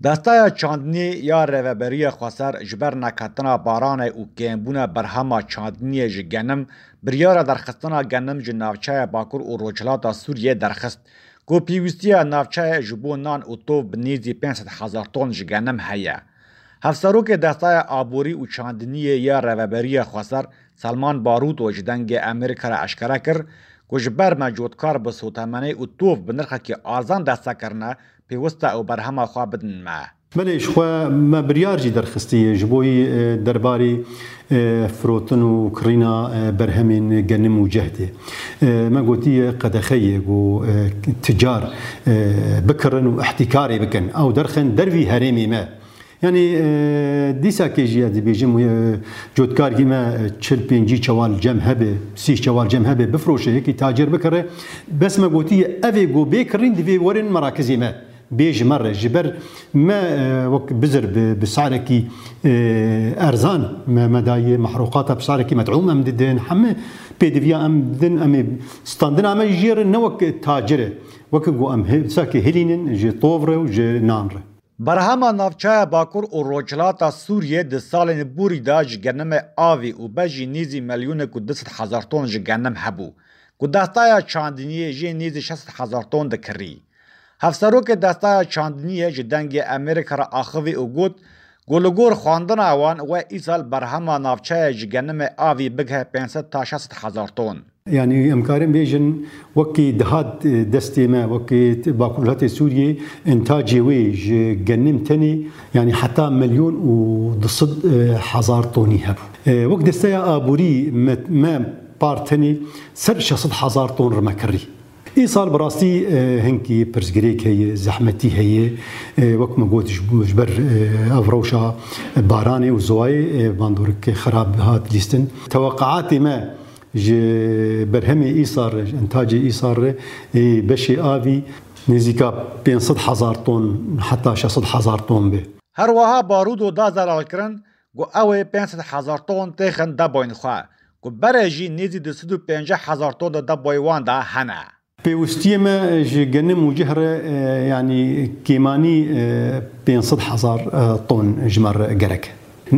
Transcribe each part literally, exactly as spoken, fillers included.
Desteya çandiniyê ya Rêveberiya Xweser ji ber neketina baranê û kêmbûna berhema çandiniyê ji genim, biryara derxistina genim ji navçeya Bakur û Rojhilata Sûriyê derxist, ku pêwîstiya navçeyê ji bo nan û tov bi nêzî pênc sed hezar ton ji genim heye. Hevserokê Desteya Aborî û Çandiniyê ya Rêveberiya Xweser, Selman Barûto, ji Dengê Amerîka re eşkere kir, ku ji ber me cotkar bi sotemenê û tov bi nirxekî arzan deste kirine, pêwist e ew berhema xwe bidin me. Belê, ji xwe me biryar jî derxistiye ji bo yî, e, derbarê, e, firotin û kirîna, e, berhemên genim û cehdê. E, me gotiye qedexe ye ku, e, ticar, e, bikirin û ihtikarê bikin. Ew derxin dervî herêmê me. Yanî, e, dîsakê jî ez dibêjim, e, cotkargî me, e, çil pêncî çewal cem hebe, sî çewal cem hebe, bifroşe, yekî tacir bikire. Bes me gotiye, ev ê ku bê kirîn divê werin merakizê me. Bê ji me re, ji ber me, e, wek bizir bi, bi sarekî, e, erzan me, me daye, mehrûqata bi sarekî med'ûm em didin, heme pêdiviya em didin, em ê standina me jê re ne wek tacir e. Wek ku em he-, sakê hilînin ji tov re û ji nan re. Berhema navçeya Bakur û Rojhilata Sûriyê di salên borî de ji genimê avî û be jî nêzî milyonek û du sed hezar ton ji genim hebû, ku desteya çandiniyê jê nêzî şeş sed hezar ton dikirî. Hevserokê Desteya Çandiniyê ji Dengê Amerîka re axivî û got, ku li gor xwendina wan we îsal berhema navçeyê ji genimê avî bigihe pênc sed ta şeş sed hezar ton. Yanî em karin bêjin, wekî dihat, e, destê me, wekî t-, Bakurwelatê Sûriyê, intacê wê ji genim tenê, yanî heta milyon û du sed, e, hezar tonî hebû. E, wek desteya aborî me, me par tenê ser şeş sed hezar ton rime kirî. Îsal bi rastî, e, hinkî pirsgirêk heye, zehmetî heye. E, wek me got, ji, ji ber, e, ev rewşa baranê û ziwayê, e, bandorek xirab hat lîstin. Teweqeatê me ji berhemê îsal re, ji intacê îsal re, ê beşê avî nêzîka pênc sed hezar ton heta şeş sed hezar ton be. Her wiha Barûdo da zelalkirin, ku ew ê pênc sed hezar ton têxin deboyên xwe, ku berê jî nêzî du sed û pêncî hezar ton di deboyê wan de hene. Pêwistiyê me ji genim û cih re, e, yanî kêmanî, e, pênc sed hezar, e, ton ji me re gerek.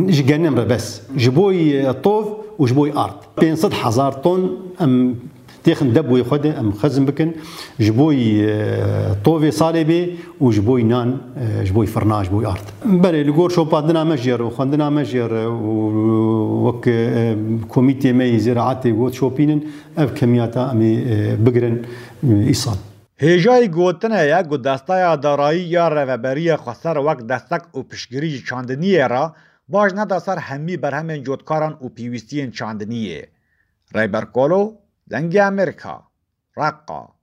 Ji genim re bes. Ji bo yî, e, tov û ji bo yî ard. Pênc sed hezar ton em têxin deboyê xwe de em xezm bikin. Ji bo yî, e, tovê salê bê û ji bo yî nan, e, ji bo yî firna, ji bo yî ard. Belê, li gor şopandina me jê re û xwendina me jê re û wek, e, komîtê me yî ziraetê got şopînin, ev kemiyata em ê, e, bigirin, e, îsal. Hêjayî gotinê ye ku Desteya Darayî ya Rêveberiya Xweser wek destek û piştgirî ji çandiniyê re baş neda ser hemî berhemên cotkaran û pêwîstiyên çandiniyê. Rêber Kolo, Dengê Amerîka, Reqqa.